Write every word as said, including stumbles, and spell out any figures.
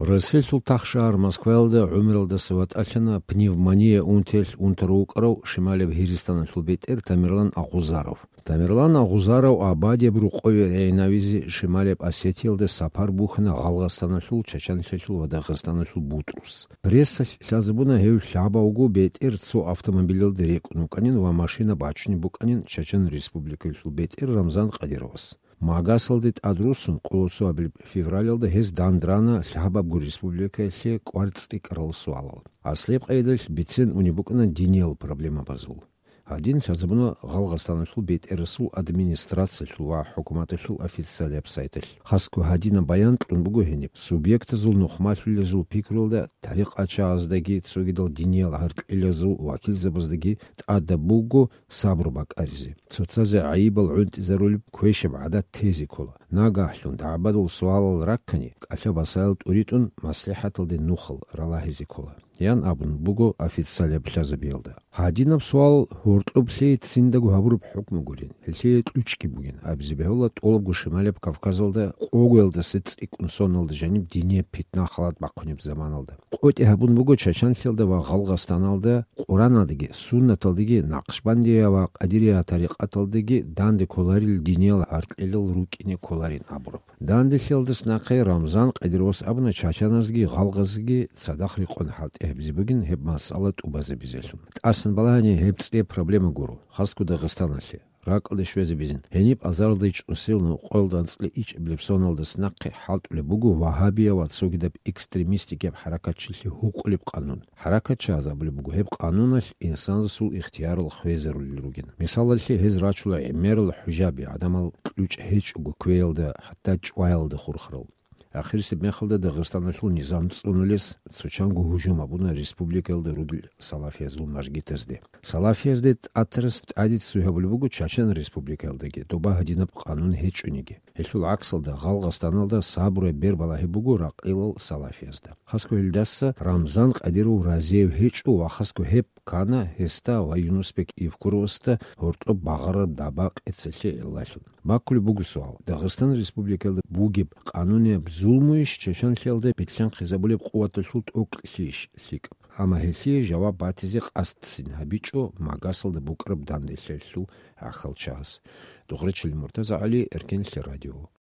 Россиялъул тахшагьар Москваялда гӀумралдаса ватӀалъана пневмония унтиялъ унтарав вукӀарав шималияб Гьиристаналъул бетӀер Тамерлан Агъузаров. Тамерлан Агъузаров абадияб рокъове регӀинавизе Шималияб Осетиялда сапар бухьана Гъалгъастаналъул, Чачанлъиялъул ва Дагъистаналъул бутӀрус. Прессалъ лъазабуна гьев лъабавго бетӀер цо автомобилалда рекӀун вукӀанин ва машина бачунеб букӀанин Чачан Республикаялъул бетӀер Рамзан Кадировас. Магасалде тӀадруссун, къоло цоабилеб февралалда гьез дандрана лъабабго республикаялъе кӀвар цӀикӀкӀарал суалал. Аслияб къайдалъ бицен унеб букӀана диниял проблемабазул. Гьадин лъазабуна Гъалгъастаналъул бетӀерасул администрациялъул ва хӀукуматалъул официалияб сайталъ. Хасго гьадинаб баян кьун буго гьениб: субъектазул нухмалъулезул пикруялда тарикъатчагӀаздаги цогидал диниял гьаркьилазул вакилзабаздаги тӀадаб буго сабру бакӀаризе. Цоцазе гӀайибал гӀунтӀизарулеб квешаб гӀадат тезе ккола. Нагагьлъун дагӀбадул суалал раккани, кӀалъа-басаял тӀуритӀун, маслихӀаталде нухал ралагьизе ккола, ян абун буго официалияб лъазабиялда. Гьадинаб суал гьоркьоб лъие циндаго гьабураб хӀукму гурин, гьелъие кьучӀги бугин, абизе бегьула тӀолабго Шималияб Кавказалда къогоялдаса цӀикӀкӀун соналда жаниб динияб питна-халат бахъунеб заманалда. КъотӀи гьабун буго Чачанлъиялда ва Гъалгъастаналда Къураналдаги, суннаталдаги, накъшбандия ва къадирия тарикъаталдаги данде кколарил диниял гьаркьилал рукӀине кколарин абураб. Данделъиялдаса нахъе Рамзан Кадировас абуна чачаназги гъалгъазги цадахъ рекъон хӀалтӀи гьабизе бугин гьеб масъала тӀубазабизелъун. ТӀасан балагьани, гьеб цӀияб проблема гуро, хасго Дагъистаналъе. РакӀалде щвезабизин, гьениб азаралда чӀунсил нукъоялда анцӀила ичӀабилеб соналдаса нахъе хӀалтӀулеб буго вагьабия ва цогидаб экстремистикияб хӀаракатчилъи гьукъулеб къанун. ХӀаракатчагӀаз абулеб буго, гьеб къануналъ инсанасул ихтиярал хвезарулел ругин. Мисалалъе, гьез рачула гӀемерал хӀужаби, гӀадамал кьучӀ гьечӀого квеялда, хӀатта чӀваялда хурхарал. Ахирисеб мехалда Дагъистаналъул низам цӀунулес цо чанго гьужум гьабуна республикаялда ругел салафиязул мажгитазде. Салафиязде тӀатарас тӀадиццуй гьабулеб буго Чачан Республикаялдаги, доба гьадинаб къанун гьечӀониги. Гьелъул гӀаксалда, Гъалгъастаналда сабруяб бер балагьи буго ракъилал салафиязда. Хасго гьелдаса Рамзан Кадиров разиев гьечӀо ва хасго гьеб ккана гьесда ва Юнусбек Евкуровасда гьоркьоб багъараб даба-къецалъе гӀиллалъун. Баккулеб буго суал: Дагъистан Республикаялда бугеб къанунияб зулмуйищ Чачанлъиялда бетӀлъанхъизабулеб къуваталъул тӀокӀлъийищ лъикӀаб? Амма гьелъие жаваб батизе къасдцин гьабичӀо Магасалда букӀараб данделъиялъул гӀахьалчагӀаз. Духрачил МуртазагӀали, Эркенлъи радио.